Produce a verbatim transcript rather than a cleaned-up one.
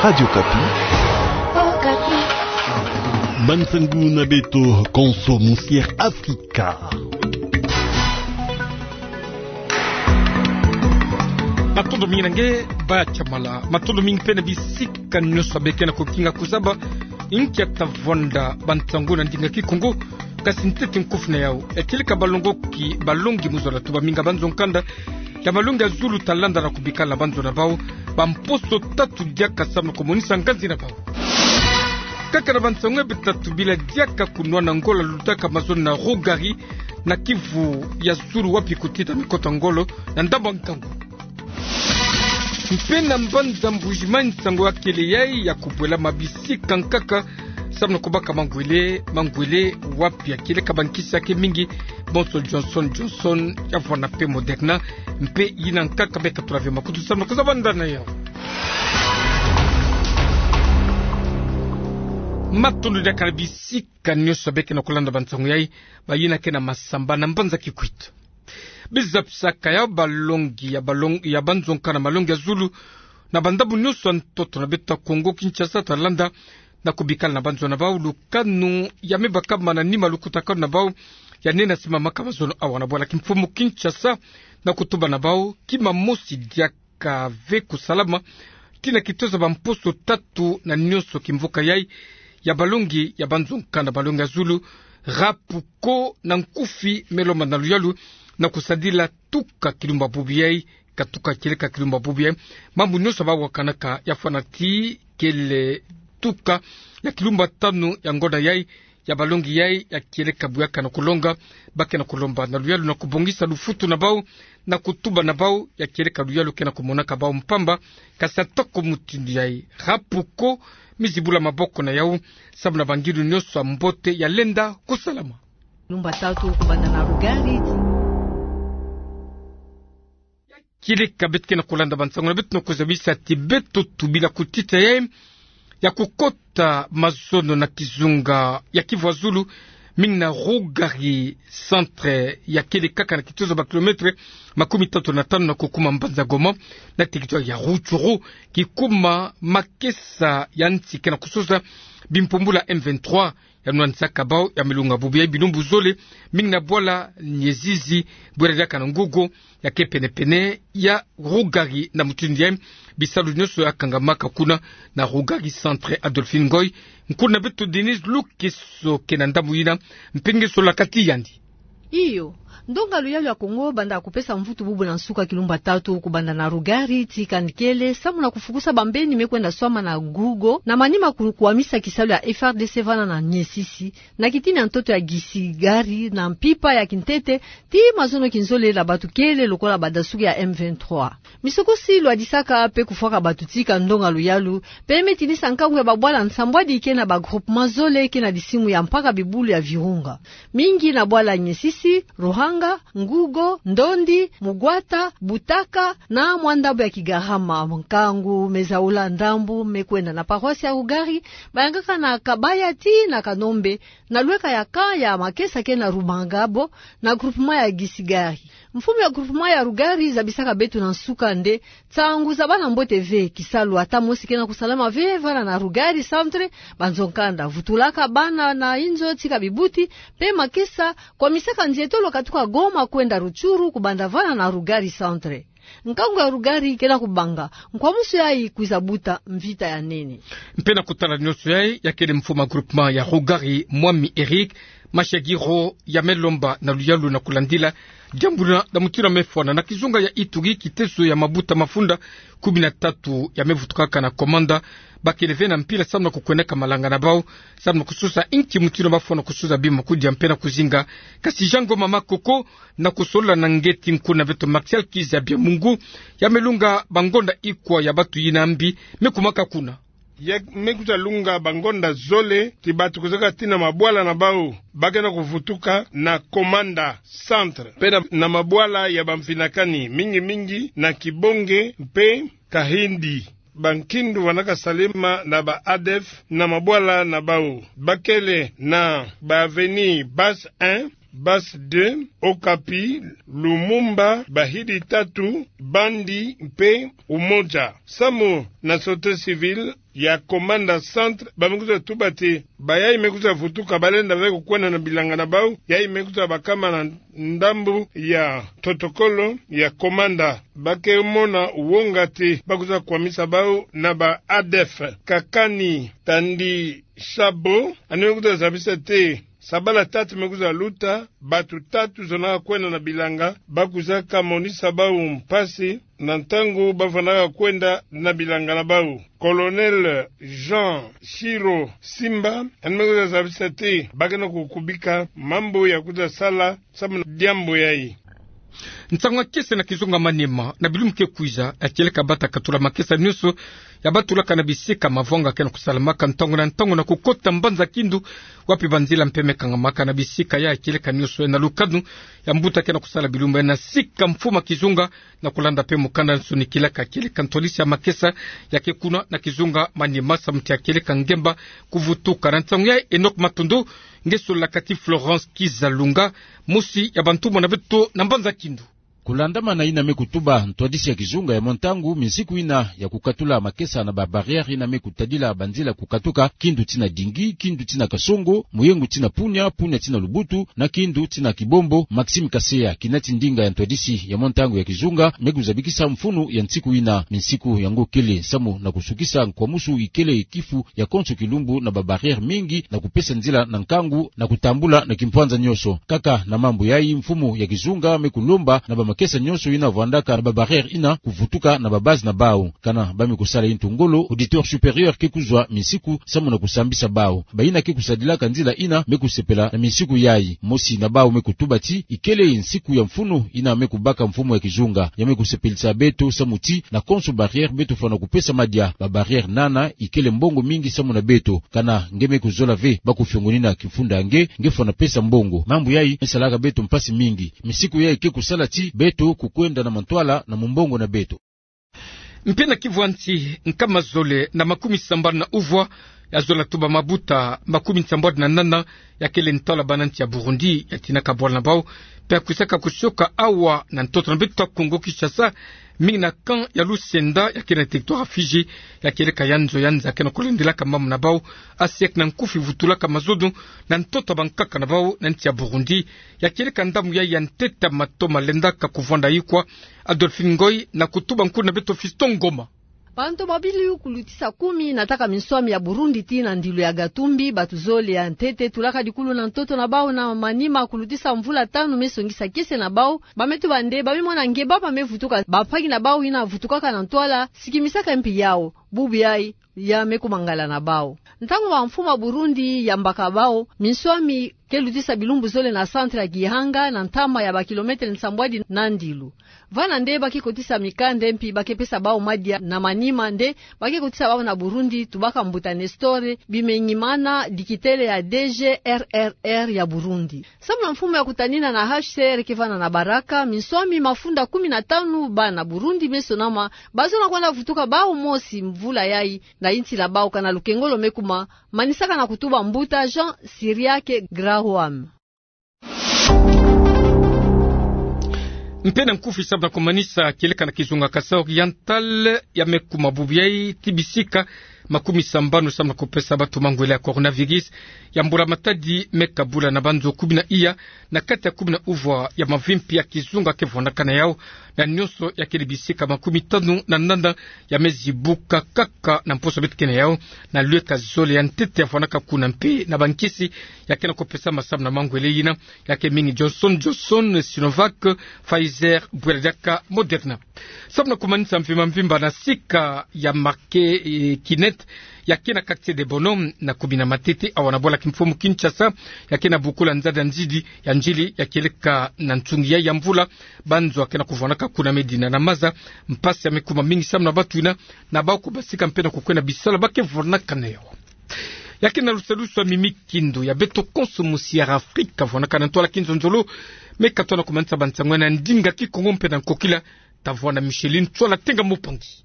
Radio Okapi. Bansangu na beto konso Musier Afrika. Matondo mingi na nge, Baya Chamala. Matondo mingi pe na bisika nyonso beke na kokinga kusaba. Inkia tavwanda bansangu na ndinga Kikongo, kasi ntete nkufi na yau. Ekileka balongoki, balongi mu zola tuba minga banzo nkanda ya malongi ya zulu talanda na kubikala na banzo na bau, bamposo tatu diaka samu na komonisa nganzi na bau. Kaka na bansangu ya beto tatu bila diaka kunwana ngolo lutaka mazono na Rougari, na kivu ya zulu wapi kutita mikota ngolo na ndambu ya nkangu. Mpe na mbanza Mbujimayi nsangu ya kele yai ya kubwela mabisi kankaka, samu na kubaka mangwele, mangwele wapi ya kele ka bankisi ya ke mingi, bonso Johnson Johnson, ya vwanda pe Moderna, mpe yina nkaka meka tulave makutu samu na kuzabanda na yau. Matondo diaka na bisika nyonso beke na kulanda bansangu yai, bayina ke na Massamba na mbanza Kikwit. Bizapisaka ya balongi, ya balong-, ya banzo nkanda malongi ya zulu, na bandambu nyonso ya ntoto na beto ya Kongo Kinshasa talanda na kubikala na banzo na bau, lukanu ya me baka mana nima lukutakanu na bau, ya nene simamaka mazono awa na bwala kimfumu Kinshasa, na kutuba na bau, kima mosi diaka ve kusalama, tina kitoza bamposo tatu na nyonso kimvuka yai, ya balongi, ya banzo nkanda malongi ya zulu, Rapuko na nkufi me lomba na luyalu, na kusadila tuka kilumba bubu yai, ka tuka kieleka kilumba bubu yai. Mambu nyonso bawakanaka ya fwana ti kele tuka ya kilumba tanu ya ngonda yai, ya balongi yai, ya kieleka buyaka na kulonga, ba ke na kulomba na luyalu na kubongisa lufutu na bau, na kutuba na bau, ya kieleka luyalu ke na kumonaka bau mpamba, kasi atako mutindu yai. Rapuko, mizibula maboko na yau, samu na bangilu nyonso ya mbote ya lenda kusalama. Lumba tatu kubanda na Rougari. Kieleka beto ke na kulanda bansangu na beto na kuzabisa ti beto tubila kutita yai ya kukota mazono na kizunga ya Kivu ya zulu, mingi na Rougari centre, ya kele kaka na kitozo ba kilomètre makumi tatu na tanu na kukuma mbanza Goma, na territoire ya Rutshuru, kikuma makesa ya nsi ke na kusosa bimpumbulu ya M vingt-trois, ya nwanisaka bau ya milunga bubu yai bilumbu zole, mingi na bwala Nyezizi, bwala diaka na Ngugo, ya ke pene-pene ya Rougari. Na mutindu yai, bisalu nyonso ya kangamaka kuna na Rougari centre. Adolphine Ngoy, nkuna beto Denise Lukeso ke na ndambu yina, mpe nge solaka ti yandi. Iyo, ndonga luyalu ya Kongo banda kupesa mvutu bubu na nsuka kilumba tatu kubanda na Rougari ti kani kele, samu na kufukusa bambeni me kwenda swama na Ngugo, na manima ku-, kukwamisa kisalu ya F R D C vana na Nyezizi, na kitini ya ntoto ya Gisigari, na mpimpa ya kintete, ti mazono kinzolele ya bato kele lokola badasuki ya M vingt-trois. Misokosi lwadisaka mpe kufwaka bato tika ndonga luyalu, mpe me tinisa nkangu ya babwala nsambwadi ke na ba groupement zole ke na disimu ya mpaka bibulu ya Virunga. Mingi na bwala Nyezizi, Ruhanga, Ngugo, Ndondi, Mugwata, Butaka, na mwa ndambu ya Kigarama. Nkangu me zaula ndambu me kwenda na paroisse ya Rougari, bayangaka na Kabaya ti na Kanombe, na lweka ya camp ya makesa ke na Rumangabo, na groupement ya Gisigari. Mfumu ya groupement ya Rougari zabisaka beto na nsuka nde, nsangu za bana mbote ve, kisalu ata mosi ke na kusalama ve vana na Rougari centre, banzo nkanda vutulaka bana na inzo tika bibuti, mpe makesa kwamisaka nzietolo katuka Goma kwenda Rutshuru kubanda vana na Rougari centre. Nkangu ya Rougari ke na kubanga, nkwamusu yai kwiza buta mvita ya nene. Mpe na kutala nyonso yai, ya kele mfumu ya groupement ya Rougari, Mwami Eric Mashagiro, ya me lomba na luyalu na kulandila diambu na, na mutindu ya me fwana na kizunga ya Ituri, kiteso ya mabuta mafunda kumi na tatu ya me vutukaka na komanda, ba kele ve na mpila samu na kukwendaka malanga na bau, samu na kusosa inki mutindu ba fwana kusosa bima kudia mpe na kuzinga. Kasi Jean Ngoma Makoko, na kusolola na nge ti nkuna beto Martial Kizabia Mungu, ya me lunga bangonda ikwa ya bato yina mbi me kumaka kuna. Ya me kwiza lunga bangonda zole ti bato kwizaka tii na mabwala na bau, ba ke na kuvutuka na Komanda Centre, mpe na, na mabwala ya bamfinakani, mingi mingi na Kibonge mpe Kahindi. Bankindu vandaka salema na ba ADF na mabwala na bau. Ba kele na ba avenue Basse un, Base deux, Okapi, Lumumba, Bahidi tatu, Bandi mpe Umoja. Samu na Société Civile ya Komanda Centre, ba me kwiza tuba ti bayayi me kwiza vutuka, balenda ve kukwenda na bilanga na bau, yayi me kwiza bakama na ndambu ya protocole ya Komanda. Ba ke mona wonga ti ba kwiza kwamisa bau na ba A D F. Kakani Tandi Shabo, yandi me kwiza zabisa ti sabala tatu me kwiza luta, bato tatu zonaka kwenda na bilanga, ba kwizaka monisa bau mpasi na ntangu ba vandaka kwenda na bilanga na bau. Colonel Jean Shiro Simba, yandi me kwiza zabisa ti ba ke na kukubika mambu ya kwiza sala samu na diambu yayi. Nsangu ya kiese na kizunga Maniema, na bilumbu ke kwiza, ya kieleka bata katula makesa nyonso ya batulaka na bisika mavwanga ke na kusalamaka ntangu na ntangu na kukota mbanza-kindu, wapi banzila mpe me kangamaka. Na bisika yayi, ya kieleka nyonso ya na lukanu ya mbuta ke na kusala bilumbu yayi, na sika mfumu ya kizunga na kulanda mpe mukanda nsonikilaka, ya kieleka ntwadisi ya makesa ya ke kuna na kizunga Maniema, samu ti ya kieleka ngemba kuvutuka. Na nsangu yayi, Enoch Matondo nge sololaka ti Florence Kizalunga, mosi ya bantumwa na beto na mbanza-kindu. Kulandamana yina me kutuba ntwadisi ya kizunga ya mwa ntangu, minsiku yina ya kukatula makesa na ba barrière yina me kutadila banzila kukatuka kindu tii na Dingi, kindu tii na Kasongo, Muyengu tii na Punia, Punia tii na Lubutu, na kindu tii na Kibombo, Maxime Kaseya, kinati ndinga ya ntwadisi ya mwa ntangu ya kizunga, me kuzabikisa mfunu ya nsiku yina. Minsiku yango kele samu na kusukisa nkwamusu ikele kifu ya konso kilumbu na ba barrière mingi, na kupesa nzila na nkangu na kutambula na kimpwanza nyonso. Kaka na mambu yayi, mfumu ya kizunga me kulomba na bamakesa nyonso yina vwandaka na ba barrière yina kuvutuka na ba base na bau. Kana ba me kusala yintu ngolo, auditeur supérieur ke kuzwa minsiku samu na kusambisa bau. Bayina ke kusadilaka nzila yina me kusepela na minsiku yayi. Mosi na bau me kutuba ti ikele nsiku ya mfunu yina me kubaka mfumu ya kizunga. Ya me kusepelisa beto samu ti na konso barrière beto fwana kupesa madia. Ba barrière nana ikele mbongo mingi samu na beto. Kana nge me kuzola ve ba kufiongonina kimfunda ya nge, nge fwana pesa mbongo. Mambu yayi me salaka beto mpasi mingi. Minsiku yayi ke kusala ti beto kukwenda na mantwala na mumbongo na beto. Mpe na Kivu ya nsi, nkama zole na makumi sambanu na uvwa ya zola tuba mabuta makumi sambanu na nana ya kele ntwala bana nsi ya Burundi ya tinaka bwala na bau, mpe ya kwisaka kusioka awa na ntoto na beto Kongo Kinshasa, mingi na camp ya Lusenda ya ke na territoire ya Fidji, ya kieleka ya nzo ya nza ke na kulendelaka mambu na bau, asiek na nkufi vutulaka mazono na ntoto ya bankaka na bau na nsi ya Burundi. Ya kieleka ndambu yayi ya ntete ya mato malendaka kuvwanda yikwa. Adolphine Ngoy na kutuba nkulu na beto Fiston Ngoma. Bantu babili kulutisa kumi nataka minswami ya Burundi tii na ndilu ya Gatumbi, bato zole ya ntete tulaka dikulu na ntoto na bau na manima kulutisa mvula tanu me songisa kiese na bau. Ba me tuba nde ba me mona nge baba me vutuka, bampaki na bau yina vutukaka na ntwala sikimisaka mpi yau. Bubu yayi ya me kuma ngala na bau. Ntangu bamfumu ya Burundi yambaka bau, minswami ke lutisa bilumbu zole na centre ya Gihanga, na ntama ya ba kilomètre nsambwadi na ndilu. Vana nde ba ke kotisa mikande mpi ba ke pesa bau madia na manima nde ba ke kotisa bau na Burundi, tubaka mbuta Nestor Bimenyimana, dikitele ya D G R R R ya Burundi. Samu na mfumu ya kutanina na H C R ke vana na Baraka, minswami mafunda kumi na tanu bana Burundi me sonama, ba zona kwenda vutuka bau mosi mvula yayi na yinsi ya bau, kana lukengolo me kuma, manisaka na kutuba mbuta Jean Cyriaque Graham. Mpe na nkufi samu na kumanisa, kieleka na kizunga Kasaï Oriental ya me kuma bubu yayi ti bisika makumi sambanu samu na kupesa bato mangwele ya coronavirus ya mbula matadi me kabula na banzo kumi na iya na kati ya kumi na uvwa ya mavimpi ya kizunga ke vwandaka na yau, na nyonso ya kele bisika makumi tanu na nana ya me zibuka kaka na mposo beto ke na yau, na lweka zole ya ntete ya vwandaka kuna mpe na bankisi ya ke na kupesama samu na mangwele yina, ya ke mingi Johnson Johnson, Sinovac, Pfizer, bwela diaka Moderna. Samu na kumanisa mvimba mvimba na sika ya marché, eh, Kinette, ya ke na quartier de Bono, na commune ya Matete, awa na bwala kimfumu Kinshasa, ya ke na bokula nzadi ya nzidi ya ndjili ya kieleka na nsungi yayi ya mvula, banzo ya ke na kuvwandaka kuna me dina na maza, mpasi ya me kuma mingi samu na bato yina, na bau kubasika mpe na kukwenda bisala ba ke vwandaka na yau. Ya ke na lusalusu ya Mimi Kindu ya beto konso musi ya Afrika, vwandaka na ntwala kinzonzolo, me katwa na kumanisa bansango na ndinga Kikongo mpe na nkokila, ta vwanda Micheline Tswala Tenga Mupangi.